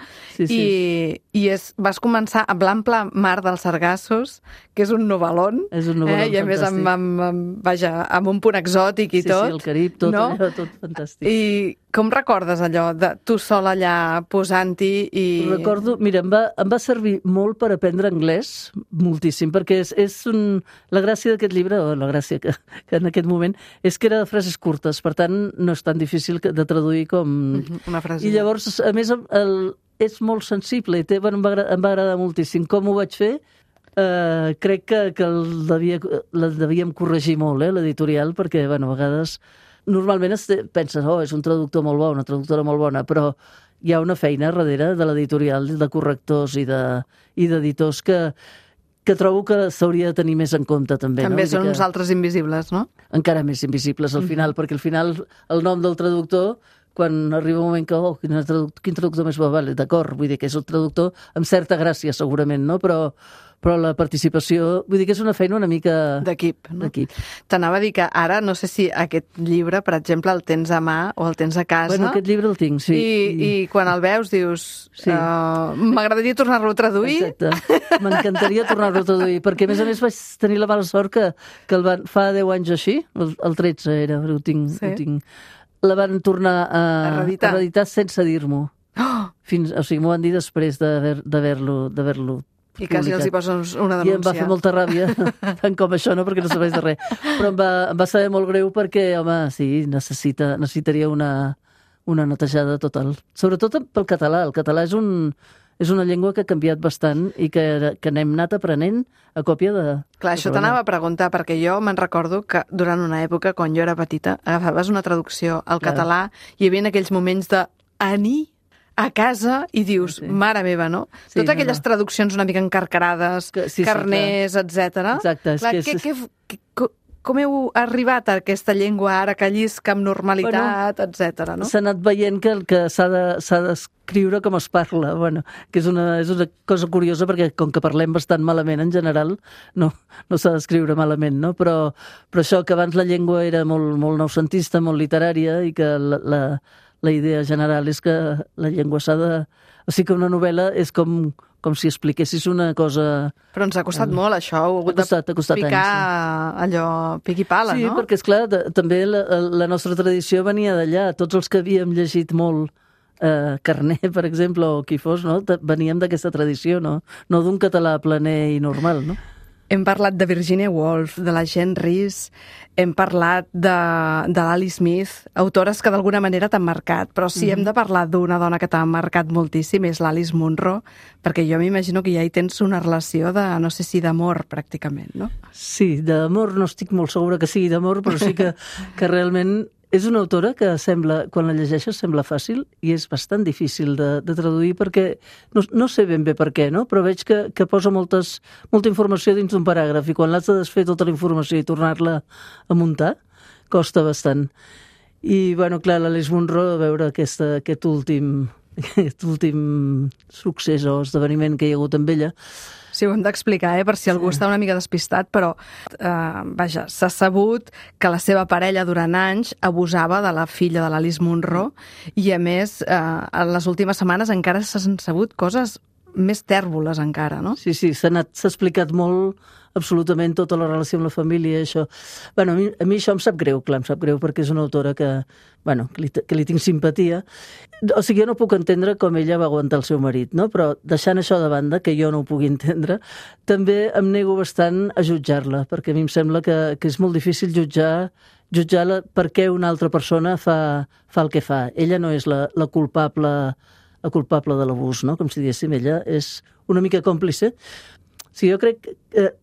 Vas començar amb l'ample mar dels sargassos, que és un novel·lón. És un novel·lón i a més amb un punt exòtic i tot. Sí, el Carib, tot allò, tot fantàstic. I com recordes allò de tu sol allà posant-hi i... Recordo, mira, em va servir molt per aprendre anglès, moltíssim, perquè la gràcia d'aquest llibre, o la gràcia que en aquest moment, és que era de frases curtes, per tant no és tan difícil de traduir com... Una frase. I llavors, a més, és molt sensible, em va agradar moltíssim. Com ho vaig fer? Crec que la devíem corregir molt, l'editorial, perquè, a vegades... Normalment penses, és un traductor molt bo, una traductora molt bona, però hi ha una feina darrere de l'editorial, de correctors i d'editors que trobo que s'hauria de tenir més en compte, també. També són uns altres invisibles, no? Encara més invisibles al final, perquè al final el nom del traductor, quan arriba un moment que, quin traductor més bo, vale, d'acord, vull dir que és el traductor amb certa gràcia, segurament, no? Però la participació, vull dir que és una feina una mica... D'equip, no? T'anava a dir que ara, no sé si aquest llibre, per exemple, el tens a mà o el tens a casa... Bueno, aquest llibre el tinc, sí. I quan el veus dius, m'agradaria tornar-lo a traduir. Exacte, m'encantaria tornar-lo a traduir, perquè a més vaig tenir la mala sort que fa 10 anys així, el 13 era, ho tinc... La van tornar a reeditar sense dir-m'ho. O sigui, m'ho van dir després d'haver-lo i quasi els hi poses una denúncia. I em va fer molta ràbia, tant com això, no? Perquè no serveix de res. Però em va saber molt greu perquè, home, sí, necessitaria una netejada total. Sobretot pel català. El català és una llengua que ha canviat bastant i que n'hem anat aprenent a còpia de... Clar, això t'anava a preguntar, perquè jo me'n recordo que durant una època, quan jo era petita, agafaves una traducció al català i hi havia aquells moments de a casa i dius, mare meva, no? Sí, totes aquelles traduccions una mica encarcarades, carners, etc. Exacte. Com heu arribat a aquesta llengua ara que llisca amb normalitat, etc. No? S'ha anat veient que s'ha d'escriure com es parla, que és una cosa curiosa perquè com que parlem bastant malament en general, no s'ha d'escriure malament, no? Però això que abans la llengua era molt noucentista, molt literària i que la idea general és que la llengua s'ha de... O sigui que una novel·la és com si expliquessis una cosa... Però ens ha costat molt, això. Heu hagut de picar allò, pic i pala, no? Sí, perquè, esclar, també la nostra tradició venia d'allà. Tots els que havíem llegit molt Carner, per exemple, o qui fos, no? Veníem d'aquesta tradició, no d'un català planer i normal, no? Hem parlat de Virginia Woolf, de la Jean Rhys, hem parlat de l'Ali Smith, autores que d'alguna manera t'han marcat, però si hem de parlar d'una dona que t'ha marcat moltíssim és l'Alice Munro, perquè jo m'imagino que ja hi tens una relació de, no sé si d'amor, pràcticament, no? Sí, d'amor no estic molt segura que sigui d'amor, però sí que realment és una autora que sembla, quan la llegeixes, sembla fàcil i és bastant difícil de traduir perquè no sé ben bé per què, no? Però veig que posa molta informació dins d'un paràgraf i quan l'has de desfer tota la informació i tornar-la a muntar, costa bastant. I, clar, l'Alice Munro, a veure aquest últim succés o esdeveniment que hi ha hagut amb ella. Sí, ho hem d'explicar, per si algú està una mica despistat, però, s'ha sabut que la seva parella durant anys abusava de la filla de l'Alice Munro i, a més, en les últimes setmanes encara s'han sabut coses més tèrboles encara, no? Sí, s'ha explicat molt absolutament tota la relació amb la família, això. A mi això em sap greu, clar, em sap greu perquè és una autora que li tinc simpatia. O sigui, jo no puc entendre com ella va aguantar el seu marit, no? Però deixant això de banda, que jo no ho pugui entendre, també em nego bastant a jutjar-la, perquè a mi em sembla que és molt difícil jutjar-la perquè una altra persona fa el que fa. Ella no és la culpable de l'abús, no? Com si diguéssim, ella és una mica còmplice. Sí, jo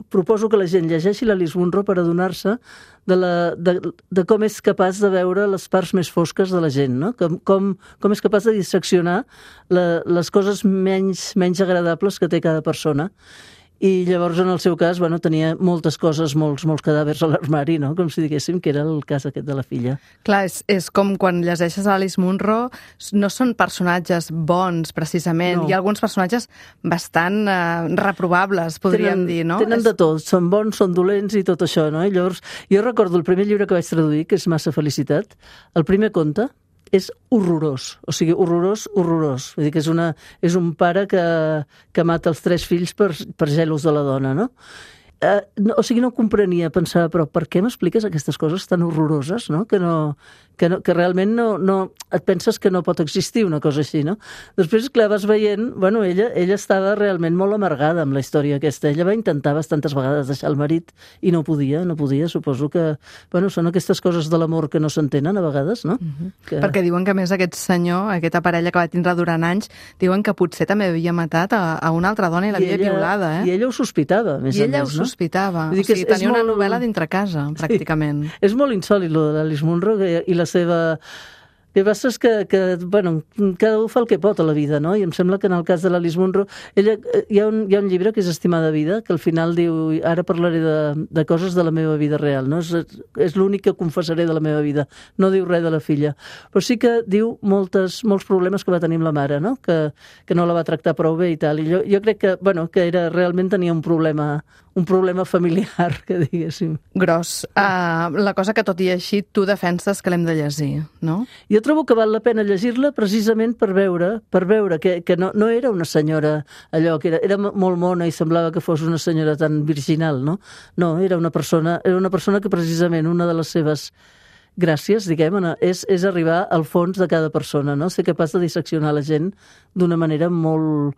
proposo que la gent llegeixi l'Alice Munro per adonar-se de com és capaç de veure les parts més fosques de la gent, no? Com és capaç de disseccionar les coses menys agradables que té cada persona I llavors, en el seu cas, tenia moltes coses, molts cadàvers a l'armari, no? Com si diguéssim que era el cas aquest de la filla. Clar, és com quan llegeixes Alice Munro, no són personatges bons, precisament. No. Hi ha alguns personatges bastant reprobables, podríem dir, no? Tenen de tot, són bons, són dolents i tot això, no? I llavors, jo recordo el primer llibre que vaig traduir, que és Massa felicitat, el primer conte és horrorós, o sigui, horrorós. Vull dir que és un pare que mata els 3 fills per gelos de la dona, no? O sigui, no comprenia, pensava, però per què m'expliques aquestes coses tan horroroses, no? Que realment no et penses que no pot existir una cosa així, no? Després, clar, vas veient, ella estava realment molt amargada amb la història aquesta. Ella va intentar bastantes vegades deixar el marit i no podia. Suposo que, són aquestes coses de l'amor que no s'entenen a vegades, no? Perquè diuen que, a més, aquest senyor, aquesta parella que va tindre durant anys, diuen que potser també havia matat a una altra dona i l'havia violada, I ella ho sospitava, a més a més, no? Sospitava. O sigui, tenia una novel·la dintre casa, pràcticament. Sí. És molt insòlit, lo de l'Alice Munro i la seva... El que passa és que cada un fa el que pot a la vida, no? I em sembla que en el cas de l'Alice Munro, hi ha un llibre que és Estimada vida, que al final diu, ara parlaré de coses de la meva vida real, no? És l'únic que confessaré de la meva vida. No diu res de la filla. Però sí que diu molts problemes que va tenir amb la mare, no? Que no la va tractar prou bé i tal. I jo crec que realment tenia un problema familiar, que diguéssim. Gros. La cosa que, tot i així, tu defenses que l'hem de llegir, no? Jo trobo que val la pena llegir-la precisament per veure que no era una senyora allò, que era molt mona i semblava que fos una senyora tan virginal, no? No, era una persona que precisament una de les seves gràcies, diguem, és arribar al fons de cada persona, no? Ser capaç de disseccionar la gent d'una manera molt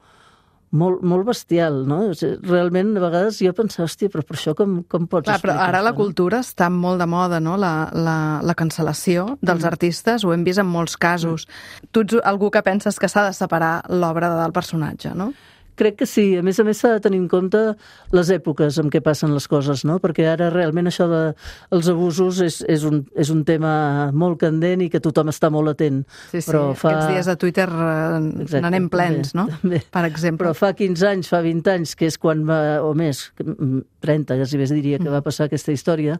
bestial, no? Realment, a vegades jo pensava, hòstia, però per això com pots explicar? Però ara la cultura està molt de moda, no? La cancel·lació dels artistes, ho hem vist en molts casos. Tu ets algú que penses que s'ha de separar l'obra del personatge, no? Crec que sí. A més s'ha de tenir en compte les èpoques en què passen les coses, no? Perquè ara realment això dels abusos és un tema molt candent i que tothom està molt atent. Sí, però aquests dies a Twitter n'anem plens, no? També. Per exemple. Però fa 15 anys, fa 20 anys, que és quan o més, 30, ja si més diria, que va passar aquesta història,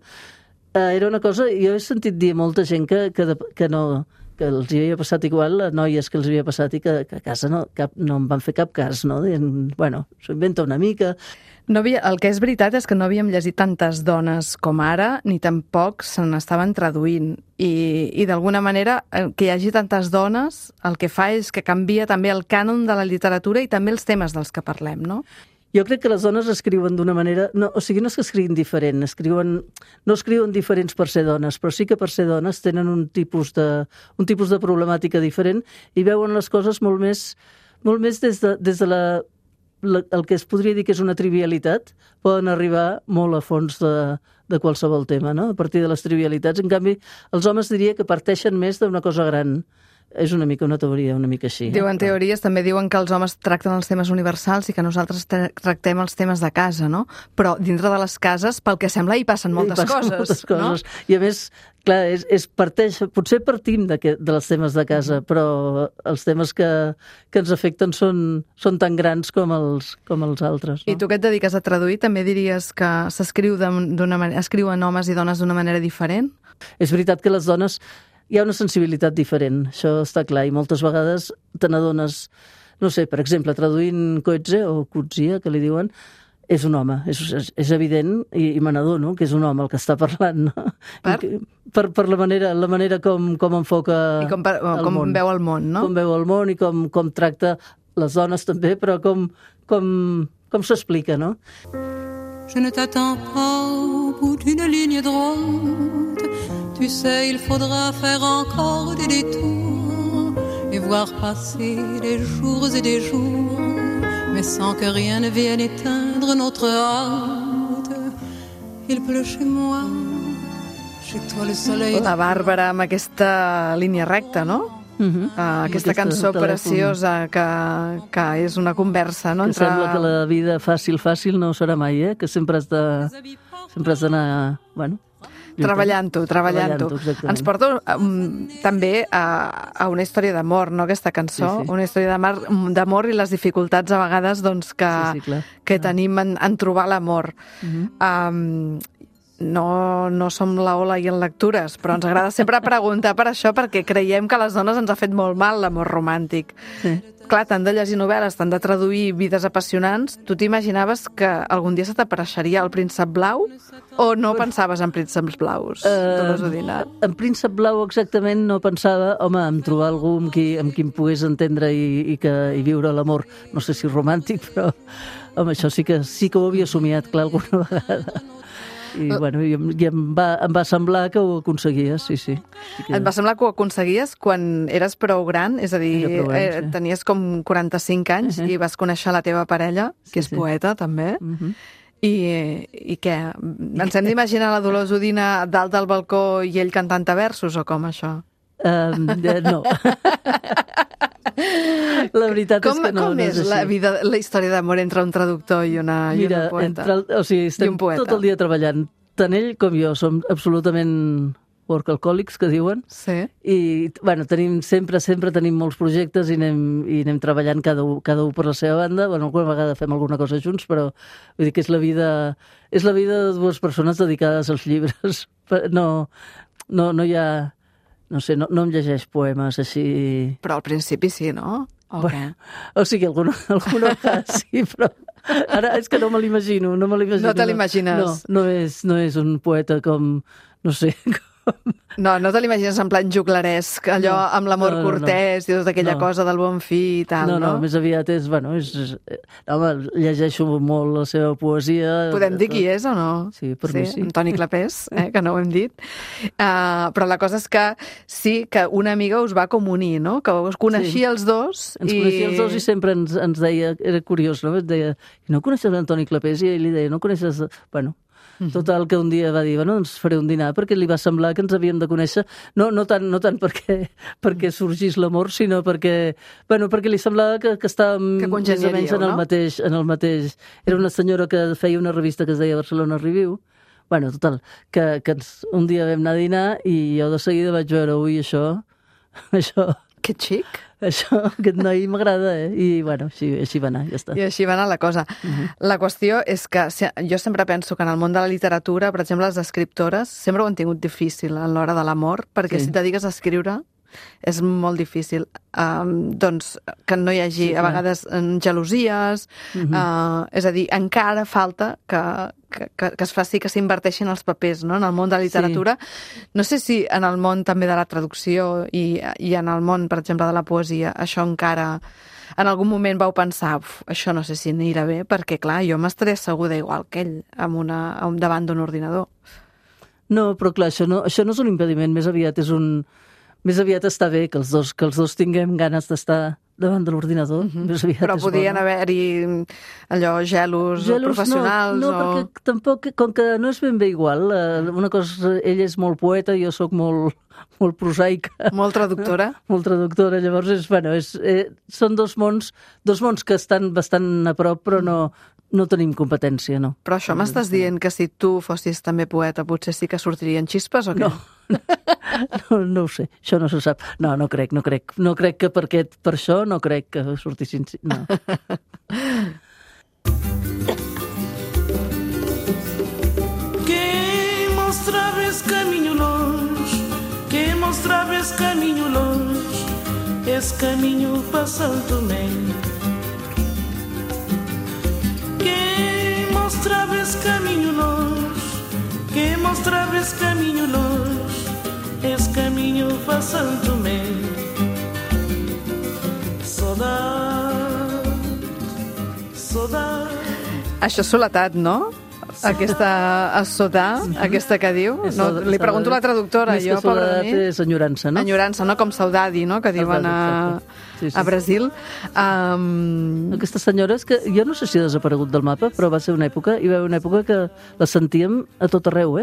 era una cosa... Jo he sentit dir a molta gent que els hi havia passat igual, a noies que els havia passat i que a casa no en van fer cap cas, no? Dient, s'ho inventa una mica. El que és veritat és que no havíem llegit tantes dones com ara, ni tampoc se n'estaven traduint. I d'alguna manera, que hi hagi tantes dones, el que fa és que canvia també el cànon de la literatura i també els temes dels que parlem, no? Jo crec que les dones escriuen d'una manera... No és que escriguin diferent, no escriuen diferents per ser dones, però sí que per ser dones tenen un tipus de problemàtica diferent i veuen les coses molt més des de el que es podria dir que és una trivialitat, poden arribar molt a fons de qualsevol tema, no? A partir de les trivialitats. En canvi, els homes diria que parteixen més d'una cosa gran. És una mica una teoria, una mica així. Diuen teories, també diuen que els homes tracten els temes universals i que nosaltres tractem els temes de casa, no? Però dintre de les cases, pel que sembla, hi passen moltes coses. No? I a més, clar, potser partim dels temes de casa, però els temes que ens afecten són tan grans com els altres. No? I tu que et dediques a traduir, també diries que escriuen homes i dones d'una manera diferent? És veritat que les dones... Hi ha una sensibilitat diferent, això està clar, i moltes vegades te n'adones, no sé, per exemple, traduint Coetzee o Coetzee, que li diuen, és un home, és evident, i me n'adono que és un home el que està parlant, no? Per la manera com enfoca el món. I com veu el món, no? Com veu el món i com tracta les dones també, però com s'explica, no? Je ne t'attends pas au bout d'une ligne droite. Tu sais, il faudra faire encore des détours et voir passer des jours et des jours, mais sans que rien ne vienne éteindre notre hâte. Il pleut chez moi, chez toi le soleil... La Bàrbara amb aquesta línia recta, no? Aquesta cançó preciosa que és una conversa, no? Que sembla que la vida fàcil no serà mai, que sempre has d'anar... Treballant-ho. Exactament. Ens porta també a una història d'amor, no?, aquesta cançó. Sí. Una història d'amor i les dificultats a vegades doncs, que tenim en trobar l'amor. No som la Ola i en lectures, però ens agrada sempre preguntar per això, perquè creiem que a les dones ens ha fet molt mal l'amor romàntic. Sí. Clar, tant de llegir novel·les, tant de traduir vides apassionants, tu t'imaginaves que algun dia se t'apareixeria el príncep blau o no pensaves en prínceps blaus, Dolors Udina? En príncep blau exactament no pensava, home, en trobar algú amb qui em pogués entendre i viure l'amor, no sé si romàntic, però home, això sí que ho havia somiat, clar, alguna vegada. I, bueno, em va semblar que ho aconseguies, sí. Et va semblar que ho aconseguies quan eres prou gran? És a dir, sí. Tenies com 45 anys i vas conèixer la teva parella, que és poeta, també. I què? Ens hem d'imaginar la Dolors Udina dalt del balcó i ell cantant versos, o com, això? No. La veritat és que no. Com és la història d'amor entre un traductor i una poeta? Estem tot el dia treballant. Tant ell com jo som absolutament workaholics, que diuen. Sí. I, bueno, sempre tenim molts projectes i anem treballant cada un per la seva banda. Bueno, alguna vegada fem alguna cosa junts, però vull dir que és la vida de dues persones dedicades als llibres. No hi ha... No sé, no em llegeix poemes així... Però al principi sí, no? O què? O sigui, alguna vegada sí, però ara és que no me l'imagino. No te l'imagines? No és un poeta com, no sé... No te l'imagines en plan juglaresc, allò amb l'amor cortès i tota aquella cosa del bon fi i tal, no? No, més aviat és... Home, llegeixo molt la seva poesia... Podem dir qui és o no? Sí, per mi sí. Antoni Clapés, que no ho hem dit. Però la cosa és que sí que una amiga us va com unir, no? Que us coneixia els dos. Ens coneixia els dos i sempre ens deia... Era curiós, no? Et deia, no coneixes l'Antoni Clapés? I ell li deia, no coneixes... Bueno... Total, que un dia va dir, doncs faré un dinar, perquè li va semblar que ens havíem de conèixer, no tant perquè sorgís l'amor, sinó perquè li semblava que estàvem més o menys en el mateix. Era una senyora que feia una revista que es deia Barcelona Review. Bueno, total, que un dia vam anar a dinar i jo de seguida vaig veure, ui, això... Que xic! Això, aquest noi m'agrada, I, bueno, així va anar, ja està. I així va anar la cosa. La qüestió és que jo sempre penso que en el món de la literatura, per exemple, les escriptores sempre ho han tingut difícil a l'hora de l'amor, perquè si et dediques a escriure és molt difícil. Doncs que no hi hagi, a vegades, gelosies, és a dir, encara falta que es faci que s'inverteixin els papers, no?, en el món de la literatura. No sé si en el món també de la traducció i en el món, per exemple, de la poesia, això encara... En algun moment vau pensar, això no sé si anirà bé, perquè, clar, jo m'estaré asseguda igual que ell davant d'un ordinador. No, però clar, això no és un impediment, més aviat està bé que els dos tinguem ganes d'estar davant de l'ordinador. Però podien haver-hi allò, gelos professionals? No, perquè tampoc, com que no és ben bé igual, una cosa, ell és molt poeta, jo sóc molt prosaica. Molt traductora? Molt traductora, llavors són dos mons que estan bastant a prop, però no tenim competència, no. Però això m'estàs dient que si tu fossis també poeta potser sí que sortirien xispes o què? No ho sé, això no se sap. No crec. No crec que per això no crec que sortissin... No. Quem mostraves caminho longe, quem mostraves caminho longe, esse caminho para Santo Tomé. Quem mostraves caminho longe, quem mostraves caminho longe, esse caminho para Santo Tomé. Saudade. Això és soledat, no? Aquesta assodar, aquesta que diu. Li pregunto a la traductora. Més que soledat és enyorança, no? Enyorança, no? Com saudade, no? Que diuen a Brasil. Aquesta senyora és que jo no sé si ha desaparegut del mapa, però va ser una època, hi va haver una època que la sentíem a tot arreu,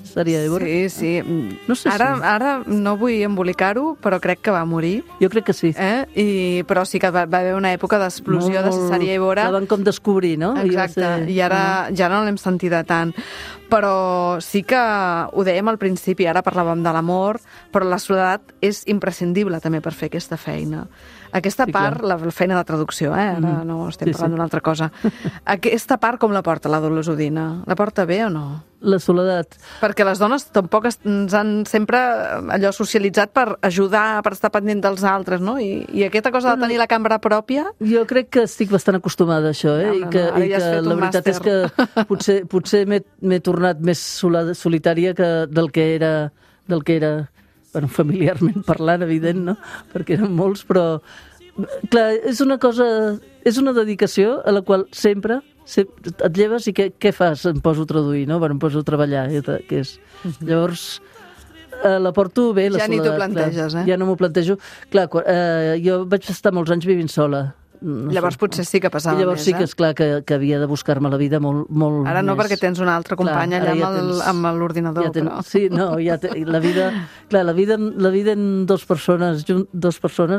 Saria Évora? Sí. No sé ara no vull embolicar-ho, però crec que va morir. Jo crec que sí. Però sí que va haver una època d'explosió de Saria Évora. La van com descobrir, no? Exacte, i ara ja no l'hem sentida tant. Però sí que ho dèiem al principi, ara parlàvem de l'amor, però la soledat és imprescindible també per fer aquesta feina. Aquesta part, la feina de traducció, ara no estem parlant d'una altra cosa. Aquesta part com la porta la Dolors Udina? La porta bé o no? La soledat. Perquè les dones tampoc ens han sempre allò socialitzat per ajudar, per estar pendent dels altres, no? I aquesta cosa de tenir la cambra pròpia... Jo crec que estic bastant acostumada a això, I que la veritat és que potser m'he tornat més solitària del que era bueno, familiarment parlant, evident, no? Perquè eren molts, però... Clar, és una dedicació a la qual sempre et lleves i què fas? Em poso a traduir, no? Bueno, em poso a treballar, que és... Llavors, la porto bé, la soledat. Ja ni t'ho planteges, Ja no m'ho plantejo. Clar, jo vaig estar molts anys vivint sola. Llavors potser sí que passava més, Llavors sí que és clar que havia de buscar-me la vida molt Ara no, més. perquè tens una altra companya allà amb l'ordinador. Sí, no, la vida en dues persones,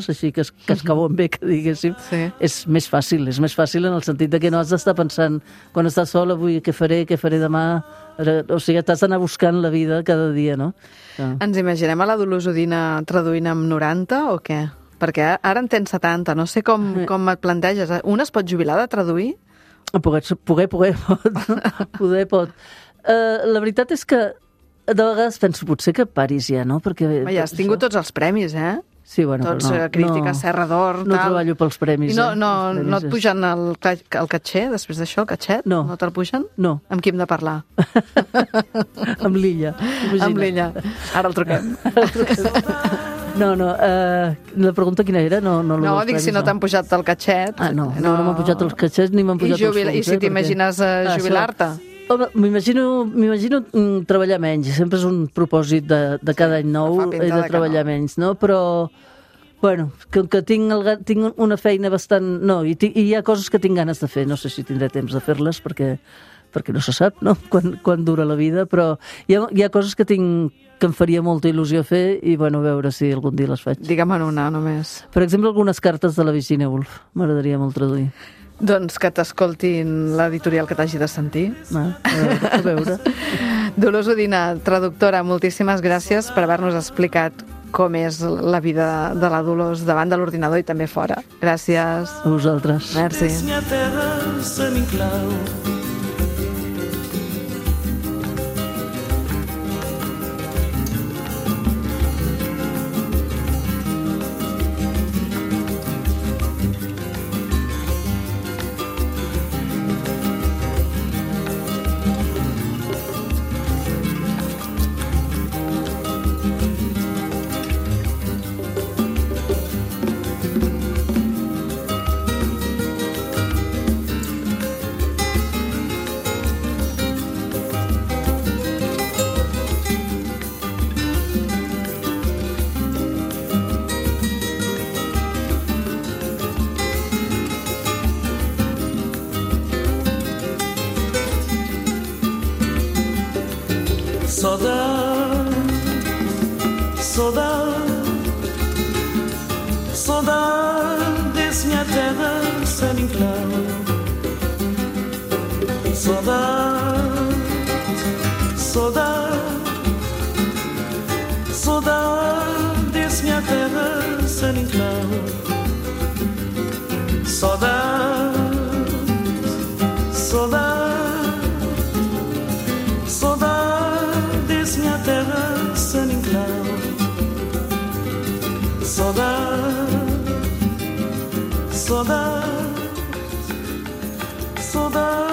així que es cauen bé, que diguéssim, és més fàcil en el sentit de que no has d'estar pensant quan estàs sola, avui què faré demà, o sigui, t'has d'anar buscant la vida cada dia, no? Ens imaginem a la Dolors Udina traduint amb 90 o què? Perquè ara en tens 70, no sé com et planteges. Un es pot jubilar de traduir? Poder pot. La veritat és que de vegades penso, potser que paris ja, no? Perquè ja has tingut tots els premis, Sí, bueno, tots crítica, Serra d'Or, no treballo pels premis. No et pugen el catxer, després d'això, el catxet? No. No te'l pugen? No. Amb qui hem de parlar? Amb l'Illa. Amb l'Illa. Ara el truquem. No, la pregunta quina era? No, dic si no t'han pujat el catxet. No m'han pujat els catxets ni m'han pujat els fons. I si t'imagines jubilar-te? Home, m'imagino treballar menys. Sempre és un propòsit de cada any nou, he de treballar menys, no? Però, bueno, que tinc una feina bastant... No, i hi ha coses que tinc ganes de fer. No sé si tindré temps de fer-les perquè no se sap, no?, quan dura la vida, però hi ha coses que em faria molta il·lusió fer i, bueno, a veure si algun dia les faig. Digue'm una només. Per exemple, algunes cartes de la Virginia Woolf. M'agradaria molt traduir. Doncs que t'escoltin l'editorial que t'hagi de sentir. A veure. Dolors Udina, traductora, moltíssimes gràcies per haver-nos explicat com és la vida de la Dolors davant de l'ordinador i també fora. Gràcies. A vosaltres. Merci. Saudades, minha terra sem enclave. Saudades, minha terra sem enclave. Saudades, minha terra sem enclave. Saudade.